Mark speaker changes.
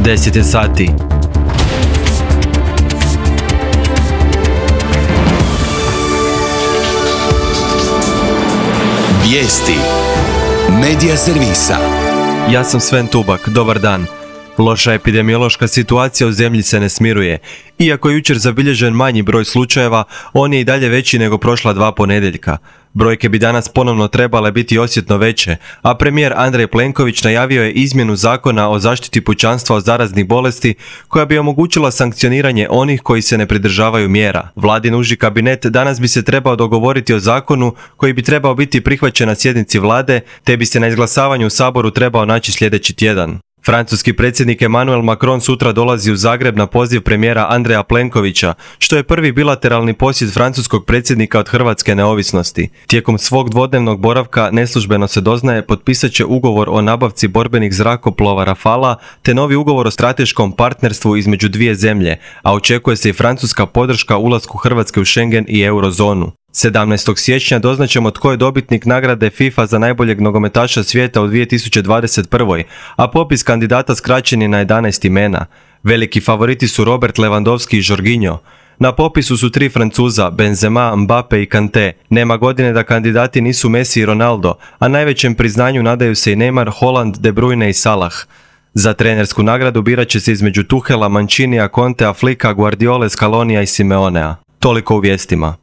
Speaker 1: 10 je sati.
Speaker 2: Vijesti Medija servisa.
Speaker 1: Ja sam Sven Tubak, dobar dan. Loša epidemiološka situacija u zemlji se ne smiruje. Iako je jučer zabilježen manji broj slučajeva, on je i dalje veći nego prošla 2 ponedjeljka. Brojke bi danas ponovno trebale biti osjetno veće, a premijer Andrej Plenković najavio je izmjenu zakona o zaštiti pučanstva od zaraznih bolesti koja bi omogućila sankcioniranje onih koji se ne pridržavaju mjera. Vladin uži kabinet danas bi se trebao dogovoriti o zakonu koji bi trebao biti prihvaćen na sjednici vlade, te bi se na izglasavanju u Saboru trebao naći sljedeći tjedan. Francuski predsjednik Emmanuel Macron sutra dolazi u Zagreb na poziv premijera Andreja Plenkovića, što je prvi bilateralni posjet francuskog predsjednika od hrvatske neovisnosti. Tijekom svog dvodnevnog boravka, neslužbeno se doznaje, potpisat će ugovor o nabavci borbenih zrakoplova Rafala te novi ugovor o strateškom partnerstvu između dvije zemlje, a očekuje se i francuska podrška ulasku Hrvatske u Schengen i eurozonu. 17. siječnja doznaćemo tko je dobitnik nagrade FIFA za najboljeg nogometaša svijeta u 2021. a popis kandidata skraćen je na 11 imena. Veliki favoriti su Robert Lewandowski i Jorginho. Na popisu su 3 Francuza, Benzema, Mbappe i Kanté. Nema godine da kandidati nisu Messi i Ronaldo, a najvećem priznanju nadaju se i Neymar, Haaland, De Bruyne i Salah. Za trenersku nagradu birat će se između Tuchela, Mancinija, Contea, Flicka, Guardiole, Scalonija i Simeonea. Toliko u vijestima.